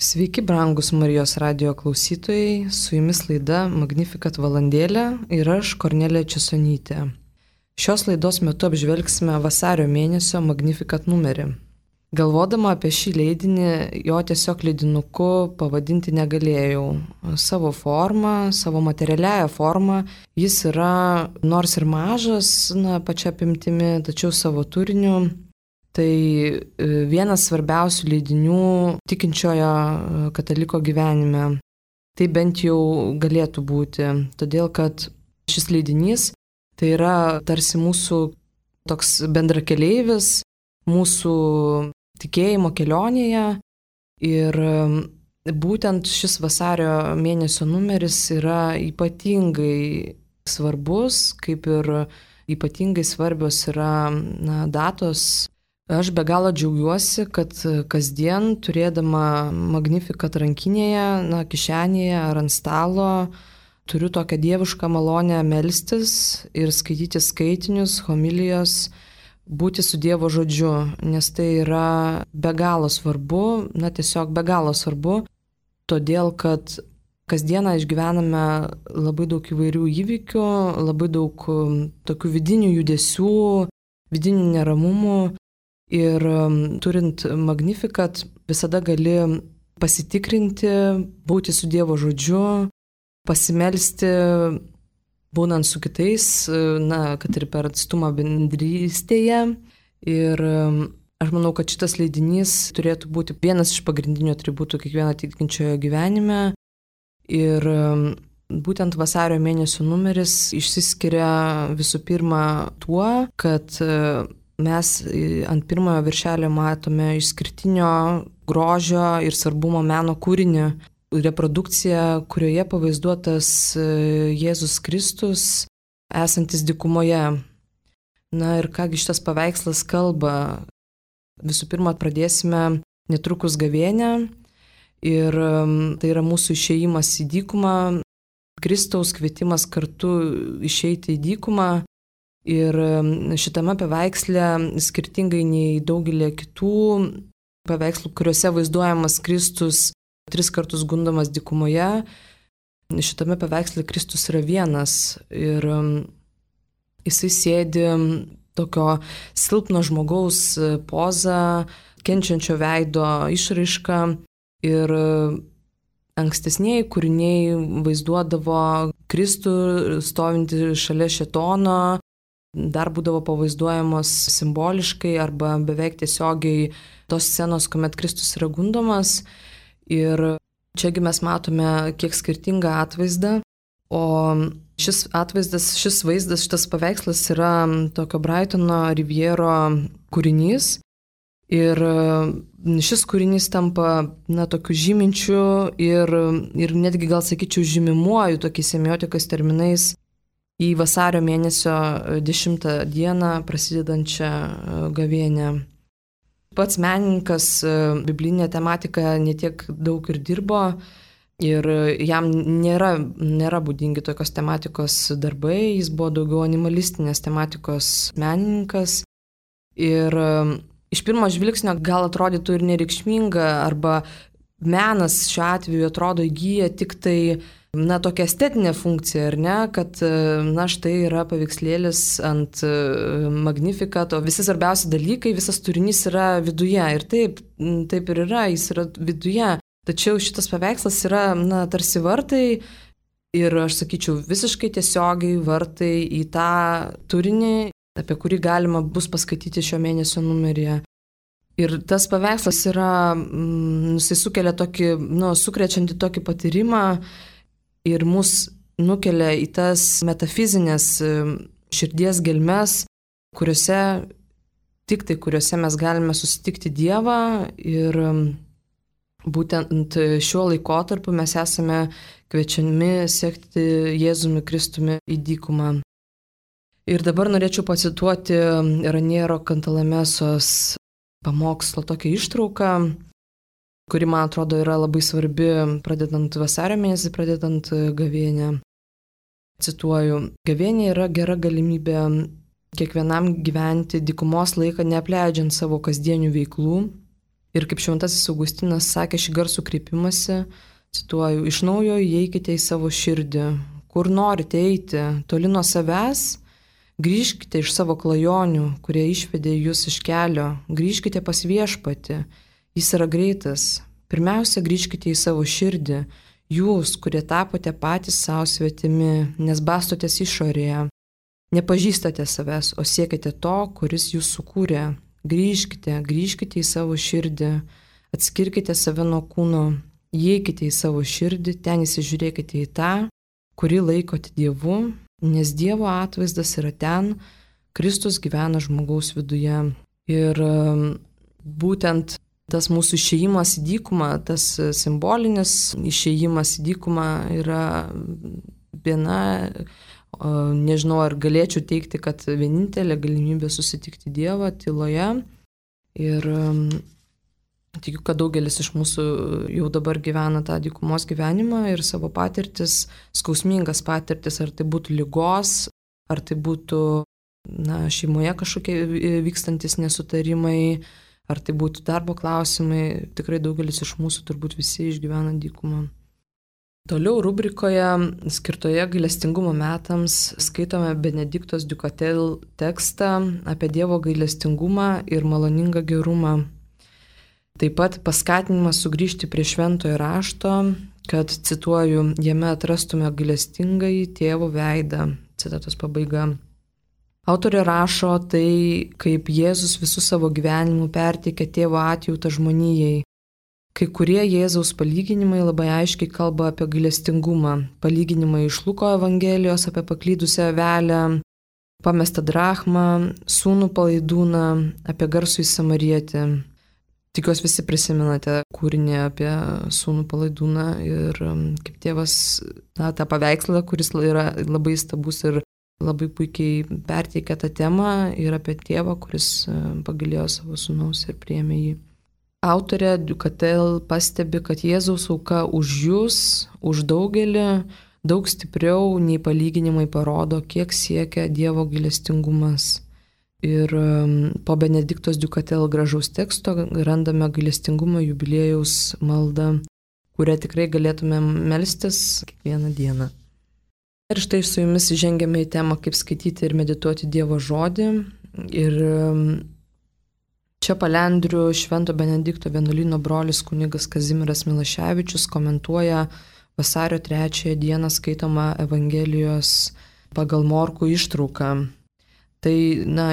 Sveiki, brangus Marijos radijo klausytojai, su jumis laida Magnificat valandėlė ir aš, Kornelija Česonytė. Šios laidos metu apžvelgsime vasario mėnesio Magnificat numerį. Galvodama apie šį leidinį, jo tiesiog leidinuku pavadinti negalėjau. Savo formą, savo materialiąją formą, jis yra nors ir mažas, pačia apimtimi, tačiau savo turiniu. Tai vienas svarbiausių leidinių tikinčiojo kataliko gyvenime. Tai bent jau galėtų būti, todėl kad šis leidinys tai yra tarsi mūsų toks bendrakeleivis, mūsų tikėjimo kelionėje ir būtent šis vasario mėnesio numeris yra ypatingai svarbus, kaip ir ypatingai svarbios yra datos. Aš be galo džiaugiuosi, kad kasdien turėdama Magnificat rankinėje, kišenėje ar ant stalo, turiu tokią dievišką malonę melstis ir skaityti skaitinius, homilijos, būti su Dievo žodžiu, nes tai yra be galo svarbu, tiesiog be galo svarbu, todėl kad kasdieną išgyvename labai daug įvairių įvykių, labai daug tokių vidinių judesių, vidinių neramumų. Ir turint Magnificat visada gali pasitikrinti, būti su Dievo žodžiu, pasimelsti, būnant su kitais, kad ir per atstumą bendrystėje. Ir aš manau, kad šitas leidinys turėtų būti vienas iš pagrindinių atributų kiekvieno tikinčiojo gyvenime. Ir būtent vasario mėnesio numeris išsiskiria visų pirma tuo, kad mes ant pirmojo viršelio matome išskirtinio grožio ir svarbumo meno kūrinį, reprodukciją, kurioje pavaizduotas Jėzus Kristus esantis dykumoje. Ir kągi šitas paveikslas kalba. Visų pirma, pradėsime netrukus gavėnią ir tai yra mūsų išėjimas į dykumą, Kristaus kvietimas kartu išeiti į dykumą. Ir šitame paveiksle, skirtingai nei daugelį kitų paveikslų, kuriuose vaizduojamas Kristus 3 kartus gundomas dykumoje, šitame paveiksle Kristus yra vienas ir jisai sėdi tokio silpno žmogaus pozą, kenčiančio veido išraišką ir ankstesnieji kūriniai vaizduodavo Kristų stovintį šalia šėtono, dar būdavo pavaizduojamos simboliškai arba beveik tiesiogiai tos scenos, kuomet Kristus yra gundomas. Ir čiagi mes matome kiek skirtingą atvaizdą, o šis vaizdas, šitas paveikslas yra tokio Brightono Riviero kūrinys. Ir šis kūrinys tampa tokiu žyminčiu ir netgi gal sakyčiau žymimuoju tokiais semiotikos terminais į vasario mėnesio 10 dieną prasidedančią gavėnią. Pats menininkas biblinė tematika netiek daug ir dirbo ir jam nėra būdingi tokios tematikos darbai, jis buvo daugiau animalistinės tematikos menininkas ir iš pirmo žvilgsnio gal atrodytų ir nereikšminga arba menas šiuo atveju atrodo įgyja tik tai tokia estetinė funkcija, ar ne, kad štai yra paveikslėlis ant Magnificat, o visi svarbiausi dalykai, visas turinys yra viduje. Ir taip ir yra, jis yra viduje. Tačiau šitas paveikslas yra tarsi vartai ir aš sakyčiau visiškai tiesiogiai vartai į tą turinį, apie kurį galima bus paskaityti šio mėnesio numeryje. Ir tas paveikslas yra, jisai sukelia tokį, sukrečiantį tokį patyrimą, ir mus nukelia į tas metafizinės širdies gelmes, kuriuose mes galime susitikti Dievą ir būtent šiuo laikotarpiu mes esame kviečiami sekti Jėzumi Kristumi į dykumą. Ir dabar norėčiau pacituoti Raniero Cantalamesos pamokslo tokią ištrauką, kuri, man atrodo, yra labai svarbi, pradedant vasario mėnesį, pradedant gavėnią. Cituoju, gavėnė yra gera galimybė kiekvienam gyventi dykumos laiką neapleidžiant savo kasdienių veiklų, Ir kaip Šventasis Augustinas sakė šį garsų kreipimąsi, cituoju, iš naujo įeikite į savo širdį, kur norite eiti, toli nuo savęs, grįžkite iš savo klajonių, kurie išvedė jūs iš kelio, grįžkite pas Viešpatį, jis yra greitas. Pirmiausia, grįžkite į savo širdį, jūs, kurie tapote patys savo svetimi, nes bastotės išorėje, nepažįstate savęs, o siekite to, kuris jūs sukūrė. Grįžkite į savo širdį, atskirkite save nuo kūno, įeikite į savo širdį, ten įsižiūrėkite į tą, kurį laikote Dievu, nes Dievo atvaizdas yra ten, Kristus gyvena žmogaus viduje. Ir būtent tas mūsų išėjimas į dykumą, tas simbolinis išėjimas į dykumą yra viena, nežinau, ar galėčiau teigti, kad vienintelė galimybė susitikti Dievą tyloje. Ir tikiu, kad daugelis iš mūsų jau dabar gyvena tą dykumos gyvenimą ir savo patirtis, skausmingas patirtis, ar tai būtų ligos, ar tai būtų šeimoje kažkokie vykstantis nesutarimai, ar tai būtų darbo klausimai, tikrai daugelis iš mūsų turbūt visi išgyvena dykumą. Toliau rubrikoje skirtoje gailestingumo metams skaitome Benediktos Dukatel tekstą apie Dievo gailestingumą ir maloningą gerumą. Taip pat paskatinimas sugrįžti prie šventojo rašto, kad, cituoju, jame atrastume gailestingąjį tėvo veidą. Citatos pabaiga. Autorė rašo tai, kaip Jėzus visų savo gyvenimų perteikė tėvo atjautą žmonijai. Kai kurie Jėzaus palyginimai labai aiškiai kalba apie gailestingumą. Palyginimai iš Luko Evangelijos apie paklydusią avelę, pamestą drachmą, sūnų palaidūną, apie garsųjį samarietį. Tikiuosi visi prisimenate kūrinį apie sūnų palaidūną ir kaip tėvas tą paveikslą, kuris yra labai stabus ir labai puikiai perteikia tą temą ir apie tėvą, kuris pagailėjo savo sūnaus ir priėmė jį. Autorė Dukatel pastebi, kad Jėzaus auka už jūs, už daugelį, daug stipriau nei palyginimai parodo, kiek siekia Dievo gailestingumas. Ir po Benediktos Dukatel gražaus teksto randame gailestingumo jubiliejaus maldą, kurią tikrai galėtume melstis kiekvieną dieną. Ir štai su jumis žengiame į temą, kaip skaityti ir medituoti Dievo žodį. Ir čia palendriu Švento Benedikto vienuolyno brolis kunigas Kazimieras Milaševičius komentuoja vasario 3 dieną skaitomą Evangelijos pagal Morkų ištrauką. Tai,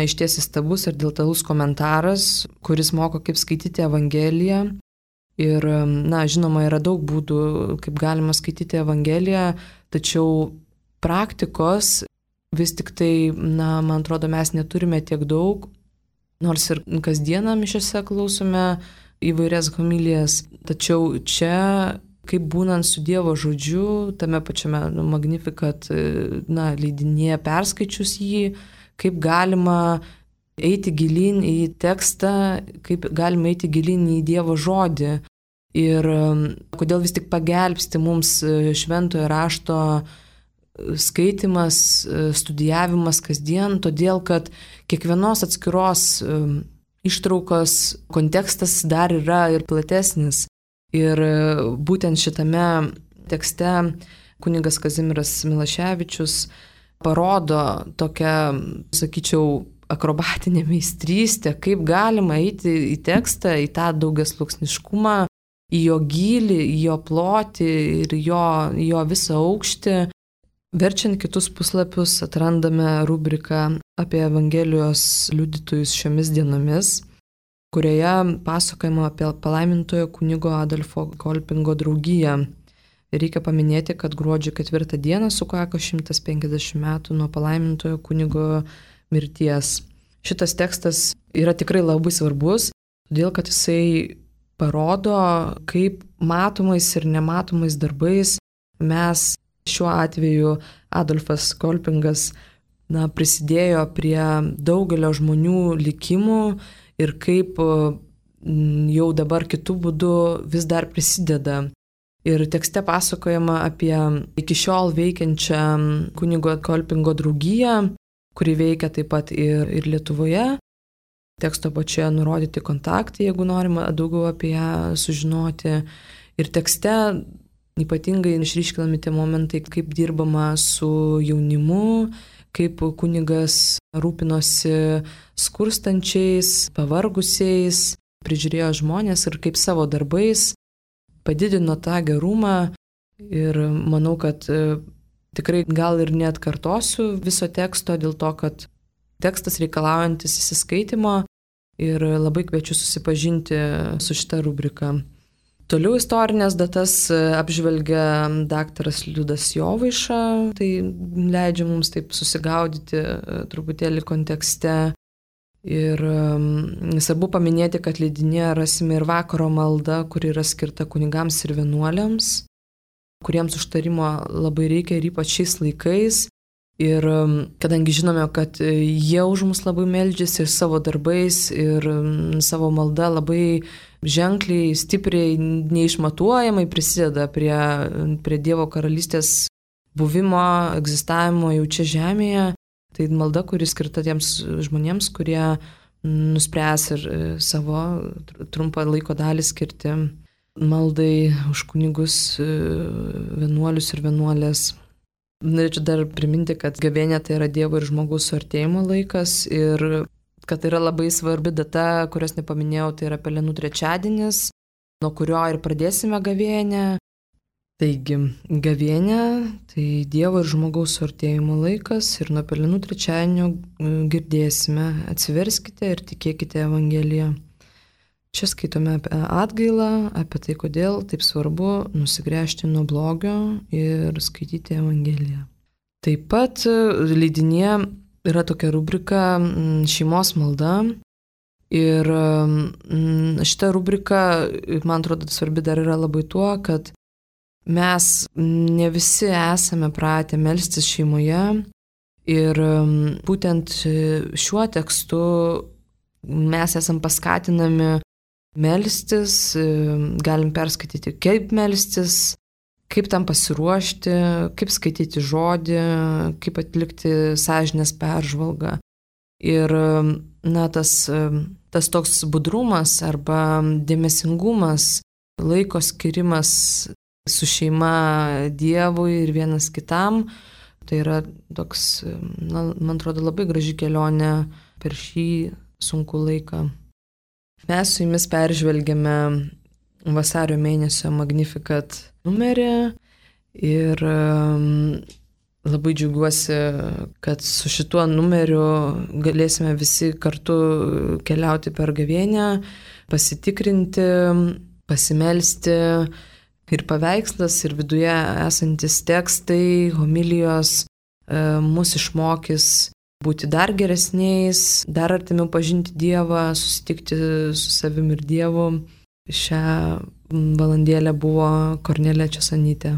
išties įstabus ir detalus komentaras, kuris moko, kaip skaityti Evangeliją. Ir, žinoma, yra daug būdų, kaip galima skaityti Evangeliją, tačiau praktikos vis tik tai, man atrodo, mes neturime tiek daug. Nors ir kasdieną mišiose klausome įvairias homilijas, tačiau čia, kaip būnant su Dievo žodžiu, tame pačiame Magnificat leidinėje perskaičius jį, kaip galima eiti gilyn į tekstą, kaip galima eiti gilyn į Dievo žodį. Ir kodėl vis tik pagelbsti mums šventojo rašto skaitimas, studijavimas kasdien, todėl kad kiekvienos atskiros ištraukos kontekstas dar yra ir platesnis. Ir būtent šitame tekste kunigas Kazimieras Milaševičius parodo tokią, sakyčiau, akrobatinę meistrystę, kaip galima eiti į tekstą, į tą daugiasluoksniškumą, į jo gylį, į jo plotį ir jo visą aukštį. Verčiant kitus puslapius atrandame rubriką apie Evangelijos liudytojus šiomis dienomis, kurioje pasakojama apie palaimintojo kunigo Adolfo Kolpingo draugiją. Reikia paminėti, kad gruodžio 4 dieną sukako 150 metų nuo palaimintojo kunigo mirties. Šitas tekstas yra tikrai labai svarbus, todėl kad jisai parodo, kaip matomais ir nematomais darbais mes šiuo atveju Adolfas Kolpingas prisidėjo prie daugelio žmonių likimų ir kaip jau dabar kitų būdų vis dar prisideda. Ir tekste pasakojama apie iki šiol veikiančią kunigo Kolpingo draugiją, kuri veikia taip pat ir Lietuvoje. teksto pačioje nurodyti kontaktai, jeigu norima daugiau apie ją sužinoti. Ir tekste ypatingai išryškinami tie momentai, kaip dirbama su jaunimu, kaip kunigas rūpinosi skurstančiais, pavargusiais, prižiūrėjo žmonės ir kaip savo darbais padidino tą gerumą. Ir manau, kad tikrai gal ir neatkartosiu viso teksto dėl to, kad tekstas reikalaujantis įsiskaitimo ir labai kviečiu susipažinti su šita rubrika. Toliau istorinės datas apžvelgia daktaras Liudas Jovaiša, tai leidžia mums taip susigaudyti truputėlį kontekste. Ir svarbu paminėti, kad leidinyje rasime ir vakaro maldą, kuri yra skirta kunigams ir vienuoliams, kuriems užtarimo labai reikia ir ypač šiais laikais. Ir kadangi žinome, kad jie už mus labai meldžiasi ir savo darbais, ir savo malda labai ženkliai, stipriai, neišmatuojamai prisideda prie Dievo karalystės buvimo, egzistavimo jau čia žemėje, tai malda, kuri skirta tiems žmonėms, kurie nuspręs ir savo trumpą laiko dalį skirti maldai už kunigus, vienuolius ir vienuolės. Norėčiau dar priminti, kad gavėnia tai yra Dievo ir žmogaus suartėjimo laikas ir kad tai yra labai svarbi data, kurios nepaminėjau, tai yra Pelenų trečiadienis, nuo kurio ir pradėsime gavėnią. Taigi, gavėnia tai Dievo ir žmogaus suartėjimo laikas ir nuo Pelenų trečiadienio girdėsime, atsiverskite ir tikėkite Evangeliją. Čia skaitome apie atgailą, apie tai, kodėl taip svarbu nusigręžti nuo blogio ir skaityti Evangeliją. Taip pat leidinyje yra tokia rubrika šeimos malda ir šita rubrika, man atrodo, svarbi dar yra labai tuo, kad mes ne visi esame pratę melstis šeimoje ir būtent šiuo tekstu mes esam paskatinami melstis, galim perskaityti, kaip melstis, kaip tam pasiruošti, kaip skaityti žodį, kaip atlikti sąžinės peržvalgą. Ir tas toks budrumas arba dėmesingumas, laiko skirimas su šeima Dievui ir vienas kitam, tai yra toks, man atrodo, labai graži kelionė per šį sunkų laiką. Mes su jumis peržvelgėme vasario mėnesio Magnificat numerį ir labai džiaugiuosi, kad su šituo numeriu galėsime visi kartu keliauti per gavėnią, pasitikrinti, pasimelsti ir paveikslas, ir viduje esantis tekstai, homilijos mus išmokys būti dar geresniais, dar artimiau pažinti Dievą, susitikti su savim ir Dievu. Šią valandėlę buvo Kornelija Česonytė.